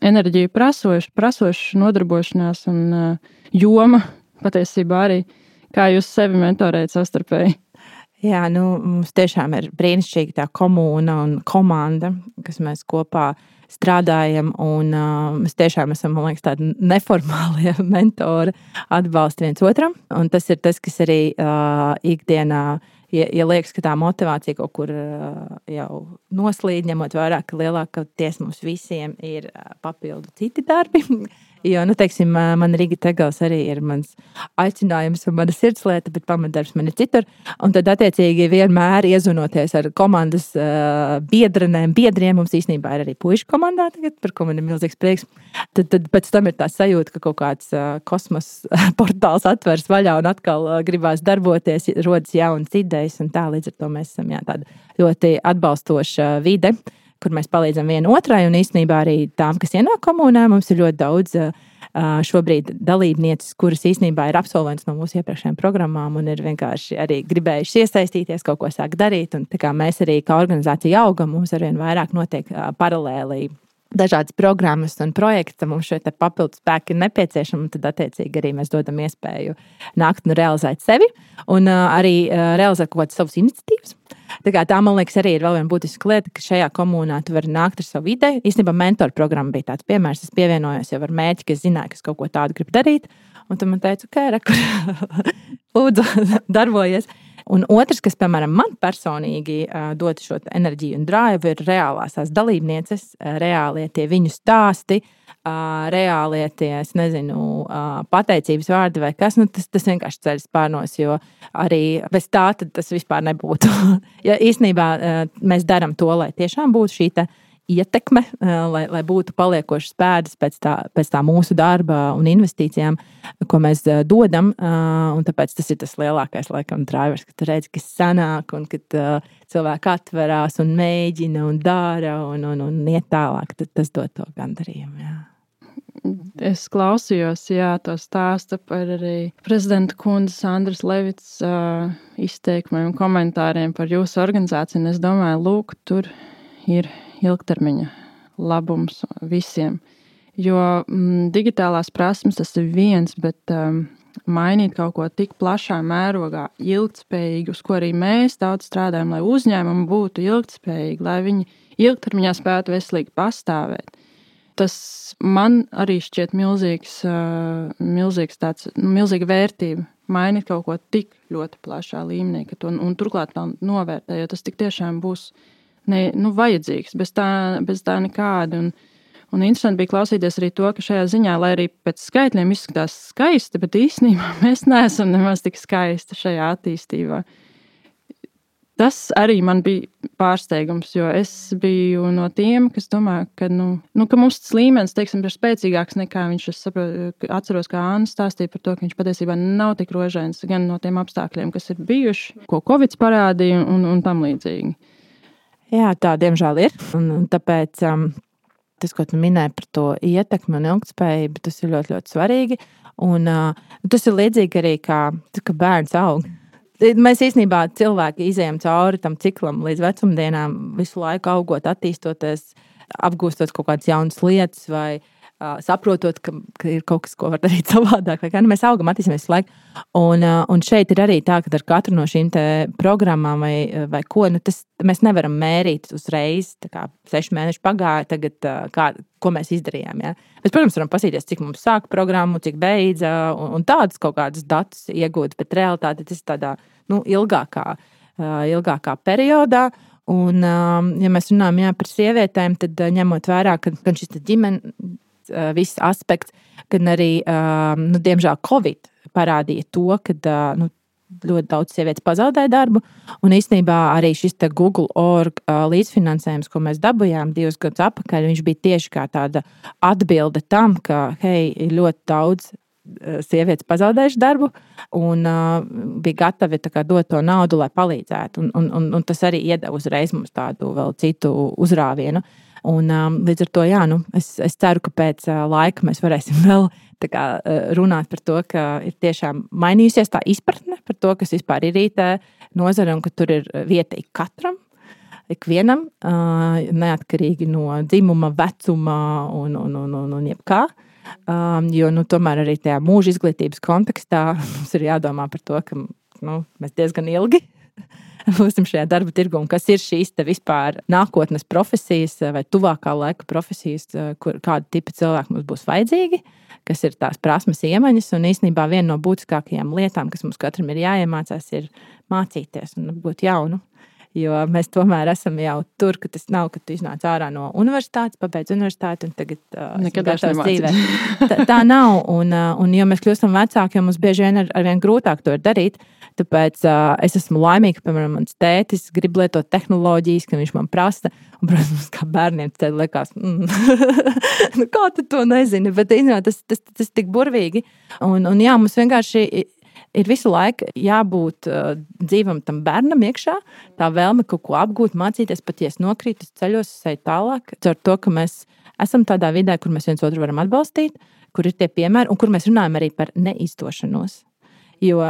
enerģiju prasošs nodarbošanās un joma patiesībā arī, kā jūs sevi mentorējat savstarpēji. Jā, mums tiešām ir brīnišķīga tā komūna un komanda, kas mēs kopā strādājam, un mēs tiešām esam, man liekas, tādi neformālie mentori, atbalsti viens otram. Un tas ir tas, kas arī ikdienā, ja liekas, ka tā motivācija kaut kur jau noslīd, ņemot vērā, ka lielākoties mums visiem ir papildu citi darbi. Jo, teiksim, man Riga Tegels arī ir mans aicinājums un mana sirdslieta, bet pamatdarbs man ir citur. Un tad, attiecīgi, vienmēr iezvanoties ar komandas biedriem, mums īstenībā ir arī puišu komandā tagad, par ko man ir milzīgs prieks. Tad pēc tam ir tā sajūta, ka kaut kāds kosmos portāls atveras vaļā un atkal gribās darboties, rodas jaunas idejas, un tā līdz ar to mēs esam tāda ļoti atbalstoša vide, kur mēs palīdzam vienu otrai, un īstenībā arī tām, kas ienāk komunā, mums ir ļoti daudz šobrīd dalībnieces, kuras īstenībā ir absolvents no mūsu iepriekšējām programmām un ir vienkārši arī gribējuši iesaistīties, kaut ko sāk darīt, un tā kā mēs arī kā organizācija augam, mums arvien vairāk notiek paralēli dažādas programmas un projekti, mums šeit papildus spēki ir nepieciešami, un tad attiecīgi arī mēs dodam iespēju nākt un realizēt sevi, un arī realizēt kaut kādas savas iniciatīvas. Tā, man liekas, arī ir vēl viena būtiska lieta, ka šajā komunā tu vari nākt ar savu ideju. Īstenībā mentoru programma bija tāds piemērs. Es pievienojos jau ar mērķi, ka es zināju, ka es kaut ko tādu gribu darīt. Un tu man teici, lūdzu, darbojies. Un otrs, kas, piemēram, man personīgi dod šo enerģiju un drive, ir reālās tās dalībnieces, reālie tie viņu stāsti, reālie tie, es nezinu, pateicības vārdi vai kas, tas vienkārši ceļ spārnos, jo arī bez tā tad tas vispār nebūtu. Ja īstenībā mēs darām to, lai tiešām būtu šī ietekme, lai būtu paliekošas pēdas pēc tā mūsu darba un investīcijām, ko mēs dodam, un tāpēc tas ir tas lielākais, laikam, drivers, ka tu redzi, kas sanāk, un kad cilvēki atverās un mēģina un dara un iet tālāk, tad tas dod to gandarījumu, jā. Es klausījos, to stāstu par arī prezidenta kundzes Andras Levits izteikumiem un komentāriem par jūsu organizāciju, un es domāju, lūk, tur ir ilgtermiņa labums visiem. Jo digitālās prasmes tas ir viens, bet mainīt kaut ko tik plašā mērogā, ilgtspējīgi, uz ko arī mēs daudz strādājam, lai uzņēmumi būtu ilgtspējīgi, lai viņi ilgtermiņā spētu veselīgi pastāvēt. Tas man arī šķiet milzīga vērtība mainīt kaut ko tik ļoti plašā līmenī, ka to, un turklāt tā novērtē, jo tas tik tiešām būs vajadzīgs, bez tā nekāda. Un interesanti bija klausīties arī to, ka šajā ziņā, lai arī pēc skaitļiem izskatās skaisti, bet īstenībā mēs neesam nemaz tik skaisti šajā attīstībā. Tas arī man bija pārsteigums, jo es biju no tiem, kas domā, ka mums tas līmenis, teiksim, ir spēcīgāks nekā viņš, es saprotu, atceros, kā Anna stāstīja par to, ka viņš patiesībā nav tik rožains gan no tiem apstākļiem, kas ir bijuši, ko Covid parādīja un tam līdzīgi. Jā, tā diemžēl ir, un tāpēc tas, ko tu minēji par to ietekmi un ilgtspējību, tas ir ļoti, ļoti svarīgi. Un tas ir līdzīgi arī kā bērns aug. Mēs īstenībā cilvēki izējam cauri tam ciklam līdz vecumdienām, visu laiku augot, attīstoties, apgūstot kaut kādas jaunas lietas vai saprotot, ka ir kaut kas, ko var darīt savādāk. Mēs augam, attīstamies visu laiku. Un šeit ir arī tā, ka ar katru no šīm programmām vai ko, mēs nevaram mērīt uzreiz. 6 mēneši pagāja, tagad ko mēs izdarījām. Ja? Mēs, protams, varam pasīties, cik mums sāka programmu, cik beidza, un tādus kaut kādus datus iegūt, bet realitāte tas ir tādā ilgākā periodā. Un, ja mēs runājam par sievietēm, tad ņemot vērā, ka šis ģimenes viss aspekts, gan arī, diemžēl, Covid parādīja to, ka ļoti daudz sievietes pazaudēja darbu. Un īstenībā arī šis Google.org līdzfinansējums, ko mēs dabūjām 2 gadus atpakaļ, viņš bija tieši kā tāda atbilde tam, ka, hei, ir ļoti daudz sievietes pazaudējuši darbu un bija gatavi dot to naudu, lai palīdzētu. Un tas arī iedeva uzreiz mums tādu vēl citu uzrāvienu. Un, līdz ar to, es ceru, ka pēc laika mēs varēsim vēl runāt par to, ka ir tiešām mainījusies tā izpratne par to, kas vispār ir IT nozare un ka tur ir vieta katram, ikvienam, neatkarīgi no dzimuma, vecuma un jebkā. Jo tomēr arī tajā mūža izglītības kontekstā mums ir jādomā par to, ka mēs diezgan ilgi būsim šajā darba tirgu, un kas ir šīs vispār nākotnes profesijas vai tuvākā laika profesijas, kāda tipa cilvēki mums būs vajadzīgi, kas ir tās prasmes iemaņas, un īstenībā viena no būtiskākajām lietām, kas mums katram ir jāiemācās, ir mācīties un būt jaunu. Jo mēs tomēr esam jau tur, ka tas nav, ka tu iznāc ārā no universitātes, pabeidz universitāti un tagad nekad gatavs dzīvē. Tā nav, un jo mēs kļūstam vecāki, jo mums bieži vien arvien grūtāk to darīt, tāpēc es esmu laimīga, ka, piemēram, mans tētis grib lietot tehnoloģijas, ka viņš man prasa, un, protams, kā bērniem tad liekas, kā tu to nezini, bet tas tik burvīgi, un jā, mums vienkārši ir visu laiku jābūt dzīvam tam bērnam iekšā, tā vēlme kaut ko apgūt, mācīties, patiesi nokrīt, ceļos, ej tālāk, ar to, ka mēs esam tādā vidē, kur mēs viens otru varam atbalstīt, kur ir tie piemēri, un kur mēs runājam arī par neizdošanos. Jo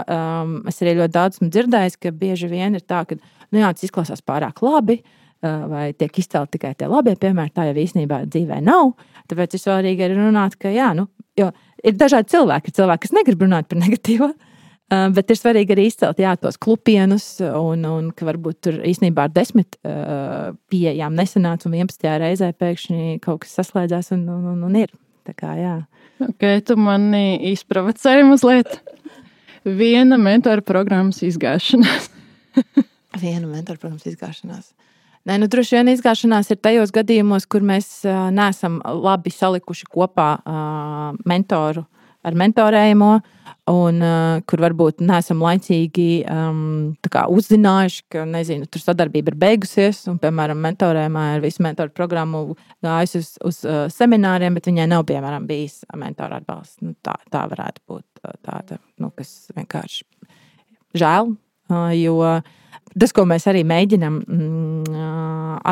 es arī ļoti daudz esmu dzirdējis, ka bieži vien ir tā, ka tas izklausās pārāk labi, vai tiek izcelti tikai tie labie piemēri, tā jau īstenībā dzīvē nav. Tāpēc ir svarīgi arī runāt, ka jo ir dažādi cilvēki, kas negrib runāt par negatīvo, bet ir svarīgi arī izcelt tos klupienus, un ka varbūt tur īstenībā ar 10 pieejām nesanāca, un 11. reizē pēkšņi kaut kas saslēdzās un ir. Tā kā, jā. Ok, tu mani izprovocēji mazliet. Viena mentora programmas izgāšanās. Viena mentora programmas izgāšanās. Nē, droši vien izgāšanās ir tajos gadījumos, kur mēs neesam labi salikuši kopā mentoru ar mentorējumu, un kur varbūt neesam laicīgi uzzinājuši, ka, tur sadarbība ir beigusies, un, piemēram, mentorējumā ir visu mentoru programmu gājusi uz semināriem, bet viņai nav, piemēram, bijis mentora atbalsts. Tā varētu būt tāda, kas vienkārši žēl, jo tas, ko mēs arī mēģinam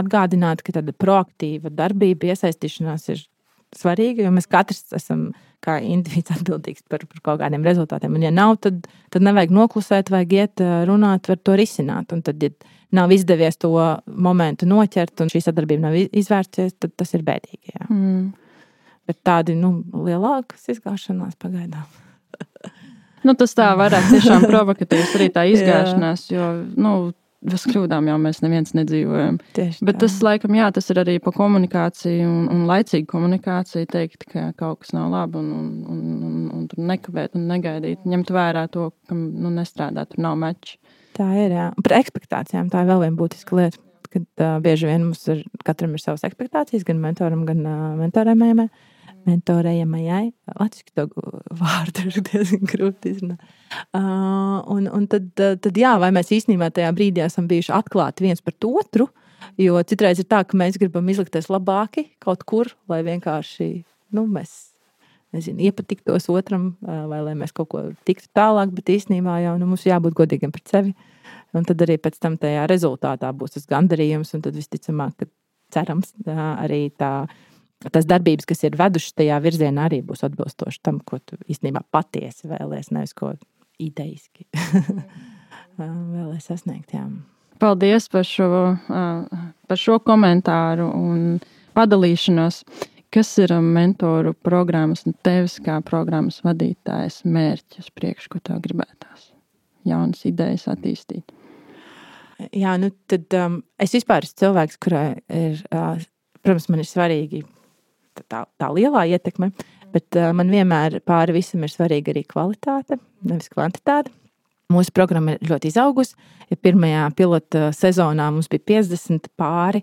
atgādināt, ka tāda proaktīva darbība, iesaistīšanās ir svarīga, jo mēs katrs esam kā individs atbildīgs par kaut kādiem rezultātiem. Un ja nav, tad nevajag noklusēt, vajag iet runāt, var to risināt. Un tad, ja nav izdevies to momentu noķert un šī sadarbība nav izvērsies, tad tas ir bēdīgi. Jā. Bet tādi, lielākas izgāšanās pagaidām. Tas tā varētu tiešām provokatīvs arī tā izgāšanās, jo, bez kļūdām jau mēs neviens nedzīvojam. Tieši bet tā. tas, laikam, tas ir arī pa komunikāciju un laicīgu komunikāciju teikt, ka kaut kas nav labi un tur nekavēt un negaidīt. Ņemt vērā to, ka nestrādā, tur nav mečs. Tā ir, jā. Par ekspektācijām tā ir vēl viena būtiska lieta, kad bieži vien mums katram ir savas ekspektācijas, gan mentoram, gan mentorējamajai. Latviski to vārdu ir diezgan grūti izrunāt. Un tad jā, vai mēs īstenībā tajā brīdī esam bijuši atklāti viens par otru, jo citreiz ir tā, ka mēs gribam izlikties labāki kaut kur, lai vienkārši, mēs, iepatiktos otram, vai lai mēs kaut ko tiktu tālāk, bet īstenībā jau mums jābūt godīgiem pret sevi. Un tad arī pēc tam tajā rezultātā būs tas gandarījums, un tad visticamāk, ka cerams arī tā tas darbības, kas ir vedušas tajā virzienā, arī būs atbilstoši tam, ko tu īstenībā patiesi vēlies, nevis ko idejiski vēlies sasniegt. Jā. Paldies par šo komentāru un padalīšanos. Kas ir mentoru programmas un tevis kā programmas vadītājas mērķis priekš, ko tev gribētās? Jaunas idejas attīstīt. Jā, tad es vispār esmu cilvēks, kurai ir, protams, man ir svarīgi tā lielā ietekme, bet man vienmēr pāri visam ir svarīga arī kvalitāte, nevis kvantitāte. Mūsu programma ir ļoti izaugusi. Ja pirmajā pilota sezonā mums bija 50 pāri,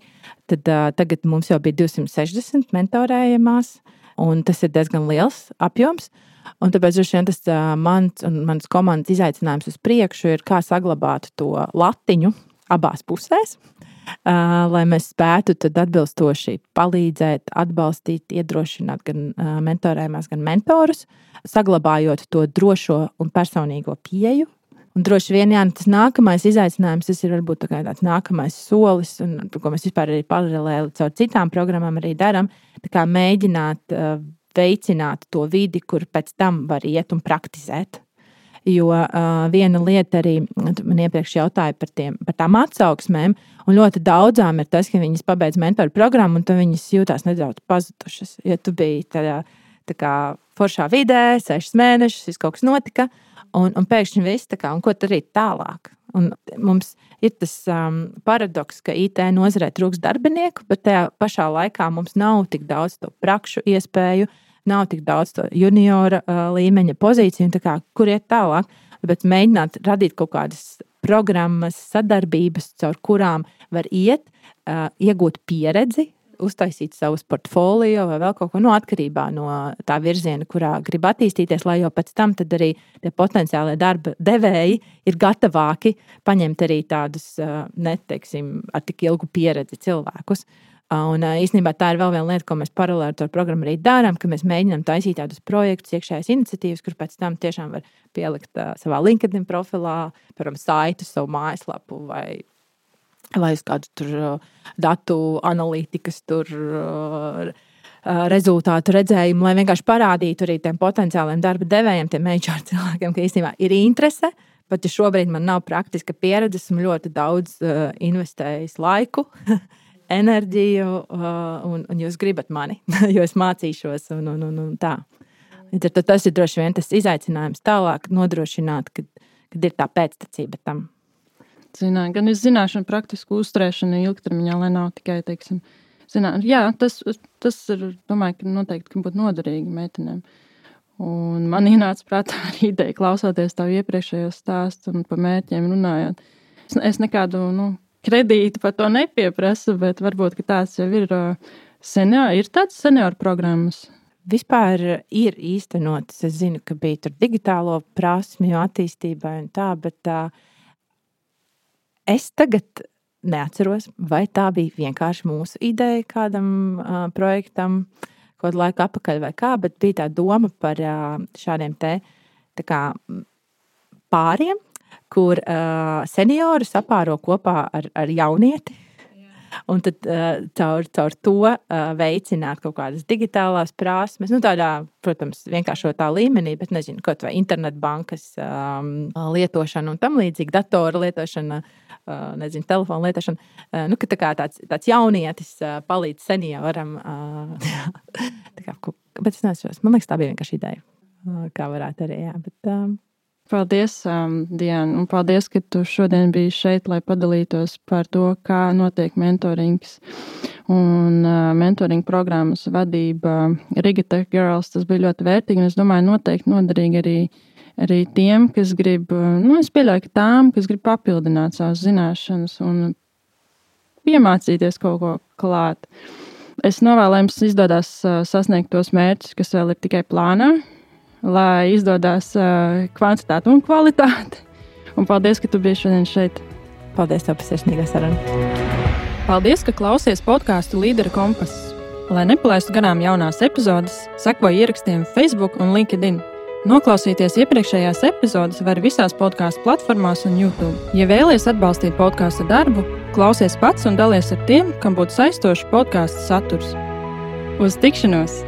tad tagad mums jau bija 260 mentorējamās, un tas ir diezgan liels apjoms. Un tāpēc tas mans un manas komandas izaicinājums uz priekšu ir, kā saglabāt to latiņu abās pusēs, lai mēs spētu tad atbilstoši palīdzēt, atbalstīt, iedrošināt gan mentorējumās, gan mentorus, saglabājot to drošo un personīgo pieeju. Un droši vien, tas nākamais izaicinājums, tas ir varbūt tāds nākamais solis, un ko mēs vispār arī paralēli caur citām programmām arī darām, tā kā mēģināt veicināt to vidi, kur pēc tam var iet un praktizēt. Jo viena lieta arī, man iepriekš jautāja par tām atsauksmēm, un ļoti daudzām ir tas, ka viņas pabeidz mentoru programmu, un tad viņas jūtās nedaudz pazudušas. Ja tu biji tādā kā foršā vidē, 6 mēnešus, viss kaut kas notika, un pēkšņi viss, un ko tad arī tālāk? Un mums ir tas paradoks, ka IT nozarē trūks darbinieku, bet tajā pašā laikā mums nav tik daudz to prakšu iespēju, nav tik daudz to juniora līmeņa pozīciju, kur iet tālāk. Bet mēģināt radīt kaut kādas programmas, sadarbības, caur kurām var iet, iegūt pieredzi, uztaisīt savus portfolio vai vēl kaut ko atkarībā no tā virziena, kurā grib attīstīties, lai jau pēc tam tad arī tie potenciālie darba devēji ir gatavāki paņemt arī tādus, neteiksim, ar tik ilgu pieredzi cilvēkus. Un īstenībā tā ir vēl viena lieta, ko mēs paralēli ar programmu arī darām, ka mēs mēģinām taisīt tādus projektus, iekšējās iniciatīvas, kur pēc tam tiešām var pielikt savā LinkedIn profilā, piemēram, saitu, savu mājaslapu vai uz kādu tur datu analītikas rezultātu redzējumu, lai vienkārši parādītu arī tiem potenciāliem darba devējiem, tiem HR cilvēkiem, ka īstenībā ir interese, pat ja šobrīd man nav praktiska pieredze, esmu ļoti daudz investējis laiku, enerģiju, un jūs gribat mani, jo es mācīšos un tā. Tas ir droši vien tas izaicinājums tālāk nodrošināt, kad ir tā pēctecība tam. Gan ir zināšana, praktiska uzturēšana ilgtermiņā, lai nav tikai, teiksim, jā, tas ir, domāju, ka noteikti ka būtu noderīgi meitenēm. Un man ienāca prātā arī ideja, klausoties tavu iepriekšējo stāstu un par mērķiem runājot. Es nekādu, kredītu par to nepieprasu, bet varbūt, ka tāds jau ir tāds senioru programmas. Vispār ir īstenotas. Es zinu, ka bija tur digitālo prasmju attīstībai un tā, bet es tagad neatceros, vai tā bija vienkārši mūsu ideja kādam projektam, kaut laiku atpakaļ vai kā, bet bija tā doma par šādiem tā kā pāriem, kur seniori sapāro kopā ar jaunieti. Un tad caur to veicināt kaut kādas digitālās prasmes, tādā, protams, vienkāršotā līmenī, bet nezinu, kaut vai internetbankas lietošana un tam līdzīgi, datora lietošana, nezinu, telefona lietošana, ka tā kā tāds jaunietis palīdz senioram. Bet es nesaprotu, man liekas, tā bija vienkārši ideja, kā varētu arī, jā, bet... Paldies, Diana, un paldies, ka tu šodien biji šeit, lai padalītos par to, kā notiek mentorings un mentoring programmas vadība Riga Tech Girls. Tas bija ļoti vērtīgi, un es domāju, noteikti noderīgi arī tiem, kas grib, es pieļauju, ka tām, kas grib papildināt savas zināšanas un piemācīties kaut ko klāt. Es novēlu, jums izdodas sasniegt tos mērķus, kas vēl ir tikai plānā, lai izdodas kvantitāte un kvalitāte. Un paldies, ka tu biji šodien šeit. Paldies tev par sirsnīgo sarunu. Paldies, ka klausies podcastu Līdera kompass. Lai nepalaistu garām jaunās epizodes, sekoji ierakstiem Facebook un LinkedIn. Noklausīties iepriekšējās epizodes var visās podcastu platformās un YouTube. Ja vēlies atbalstīt podcastu darbu, klausies pats un dalies ar tiem, kam būtu saistošs podcastu saturs. Uz tikšanos!